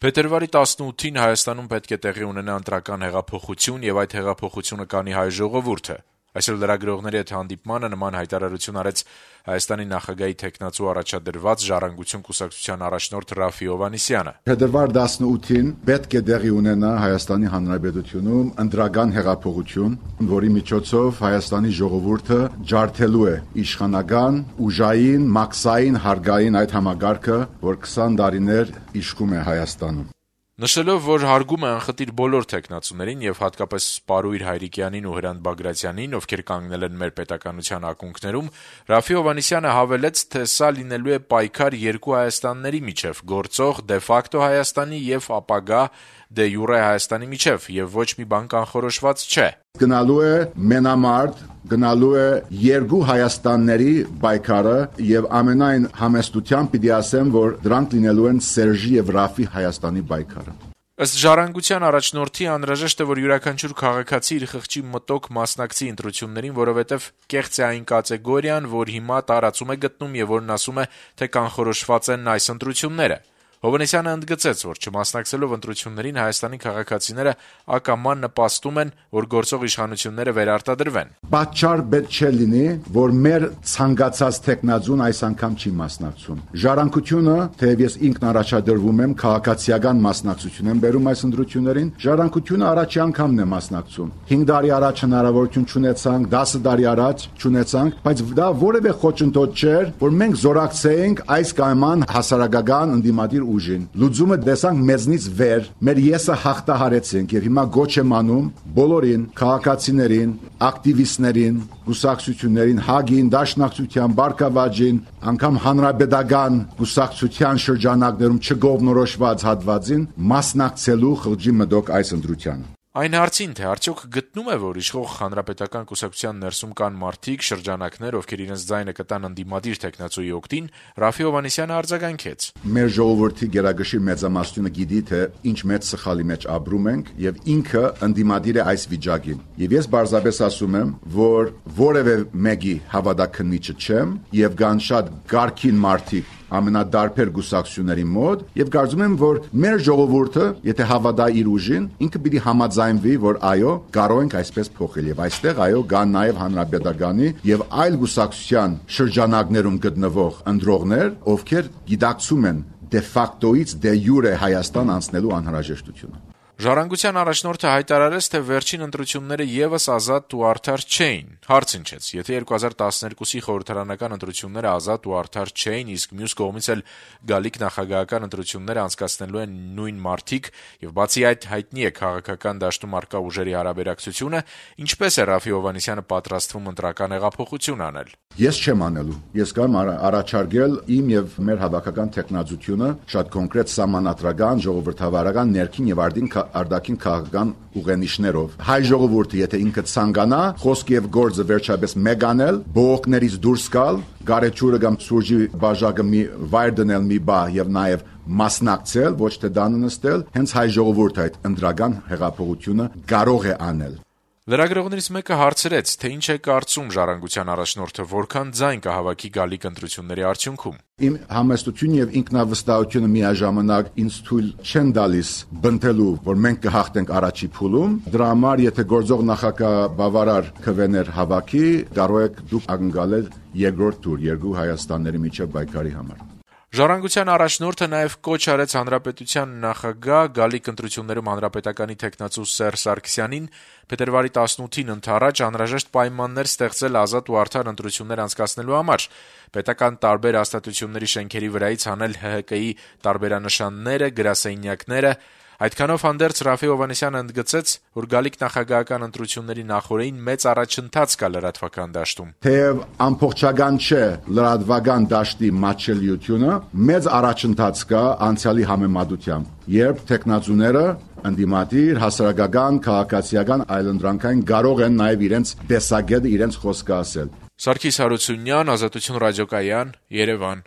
Փետրվարի 18-ին Հայաստանում պետք է տեղի ունենա ընտրական հեղափոխություն եւ այդ հեղափոխությունը կանի հայ ժողովուրդը։ Այսօր լրագրողների հետ հանդիպմանը նման հայտարարություն արեց Հայաստանի նախագահի թեկնածու առաջադրված «Ժառանգություն» կուսակցության առաջնորդ Ռաֆֆի Հովհաննիսյանը։ Փետրվար 18-ին պետք է տեղի ունենա Հայաստանի Հանրապետությունում ընտրական հեղափոխություն, որի միջոցով Հայաստանի ժողովուրդը ջարդելու է իշխանական, ուժային, մաքսային, հարգային այդ համագարկը, որ 20 տարիներ իշխում է Հայաստանում։ Նշելով, որ հարգում է անխտիր բոլոր թեկնածուներին եւ հատկապես Պարույր Հայրիկյանին ու Հրանտ Բագրատյանին, ովքեր կանգնել են մեր պետականության ակունքներում, Ռաֆֆի Հովհաննիսյանը հավելեց, թե սա լինելու է պայքար երկու Հայաստանների միջև՝ գործող դե ֆակտո Հայաստանի եւ ապագա դե յուրե Հայաստանի միջև, եւ ոչ մի բան կանխորոշված չէ։ Գնալու է մենամարտ, գնալու է երկու Հայաստանների պայքարը եւ ամենայն համեստությամբ պիտի ասեմ, որ դրանք լինելու են Սերժի եւ Ռաֆֆի Հայաստանի պայքարը։ Ըստ «Ժառանգության» առաջնորդի անհրաժեշտ է, որ յուրաքանչյուր քաղաքացի իր խղճի մտոք մասնակցի ընտրություններին, որովհետեւ կեղծ է այն կատեգորիան, որ հիմա տարածում է գտնում եւ որն ասում է, թե կանխորոշված են այս ընտրությունները։ Հովհաննիսյանը ընդգծեց, որ չմասնակցելով ընտրություններին Հայաստանի քաղաքացիները ակամա նպաստում են, որ գործող իշխանությունները վերարտադրվեն։ Պատճառ պետք չէ լինի, որ մեր ցանկացած տեխնազուն այս անգամ չի մասնակցում։ Ժառանգությունը, թեև ես ինքն առաջադրվում եմ, քաղաքացիական մասնակցություն եմ բերում այս ընտրություններին, Ժառանգությունը առաջի անգամն է մասնակցում։ 5 տարի առաջ հնարավորություն չունեցանք, 10 տարի առաջ չունեցանք, բայց դա որևէ խոչընդոտ չէր, որ մենք զորակցեինք այս կամ այն հասարակական ընդդիմադիր ուժին։ Լուծումը տեսանք մեզնից վեր, մեր եսը հաղթահարեցինք եւ հիմա գոչ եմ անում բոլորին, քաղաքացիներին, ակտիվիստներին, կուսակցություններին, հագին, դաշնակցության, բարգավաճին, անգամ հանրապետական կուսակցության շրջանակներում չգովնորոշված հատվածին մասնակցելու խղճի մտոք այս ընտրությանը։ Այն հարցին, թե արդյոք գտնում է, որ իշխող հանրապետական կուսակցության ներսում կան մարդիկ, շրջանակներ, ովքեր իրենց ձայնը կտան ընդդիմադիր թեկնածուի օգտին, Ռաֆֆի Հովհաննիսյանը արձագանքեց. Մեր ժողովրդի գերագշի մեծամասնությունը գիտի, թե ինչ մեծ սխալի մեջ ապրում ենք եւ ինքը ընդդիմադիր է այս վիճակին։ Եվ ես բարձրապես ասում եմ, որ որևէ մեկի հավատաքննիչը չեմ եւ կան շատ գարքին մարդիկ ամենադարբեր գուսակցությունների մոտ եւ կարծում եմ, որ մեր ժողովուրդը, եթե հավատա իր ուժին, ինքը պիտի համաձայնվի, որ այո, կարող ենք այսպես փոխել եւ այստեղ այո, կան նաեւ հանրապետականի եւ այլ գուսակցության շրջանակներում գտնվող ընտրողներ, ովքեր գիտակցում են դե ֆակտոից դե յուրե Հայաստան անցնելու անհրաժեշտությունը։ «Ժառանգության» առաջնորդը հայտարարեց, թե վերջին ընտրությունները եւս ազատ ու արդար չէին։ Հարց հնչեց. եթե 2012-ի խորհրդարանական ընտրությունները ազատ ու արդար չէին, իսկ մյուս կողմից էլ գալիք նախագահական ընտրությունները անցկացնելու են նույն մարդիկ, եւ բացի այդ հայտնի է քաղաքական դաշտում առկա ուժերի հարաբերակցությունը, ինչպես է Ռաֆֆի Հովհաննիսյանը պատրաստվում ընտրական հեղափոխություն անել։ Ես չեմ անելու։ Ես կամ առաջարկել իմ եւ մեր հավաքական տեխնազությունը շատ կոնկրետ սահմանադրական, ժողովրդավարական, ներքին եւ արտաքին քաղաքական ուղենիշներով։ Հայ ժողովուրդը, եթե ինքը ցանկանա, խոսք եւ գործը վերջապես մեկ անել, բողոքներից դուրս գալ, գարեջուրը կամ սուրճի բաժակը մի վայր դնել մի բա եւ նաեւ մասնակցել, ոչ թե դանը նստել, հենց հայ ժողովուրդը այդ ընտրական հեղափոխությունը կարող է անել։ Լրագրողներից մեկը հարցրեց, թե ինչ է կարծում «Ժառանգության» առաջնորդը, որքան ձայն կհավաքի գալիք ընտրությունների արդյունքում։ Իմ համեստությունը եւ ինքնավստահությունը միաժամանակ ինձ թույլ չեն տալիս բնտելու, որ մենք կհաղթենք առաջի փուլում։ Դրա համար, եթե գործող նախագահ բավարար քվեներ հավաքի, կարող եք դուք ակնկալել երկրորդ տուր երկու Հայաստանների միջև պայքարի համար։ «Ժառանգության» առաջնորդը նաև կոչ արեց հանրապետության նախագահ գալիք ընտրություններում հանրապետականի թեկնածու Սերժ Սարգսյանին փետրվարի 18-ին ընդառաջ անհրաժեշտ պայմաններ ստեղծել ազատ ու արդար ընտրություններ անցկացնելու համար, պետական տարբեր հաստատությունների շենքերի վրայից հանել ՀՀԿ-ի տարբերանշանները, գրասենյակները։ Այդքանով հանդերձ Ռաֆֆի Հովհաննիսյանը ընդգծեց, որ գալիք նախագահական ընտրությունների նախօրեին մեծ առաջընթաց կա լրատվական դաշտում։ Թեև ամբողջական չէ լրատվական դաշտի մատչելիությունը, մեծ առաջընթաց կա անցյալի համեմատությամբ, երբ տեխնազուները ընդդիմադիր, հասարակական, քաղաքացիական այլընտրանքային կարող են նաև իրենց տեսակետը, իրենց խոսքը ասել։ Սարգիս Հարությունյան, Ազատություն ռադիոկայան, Երևան։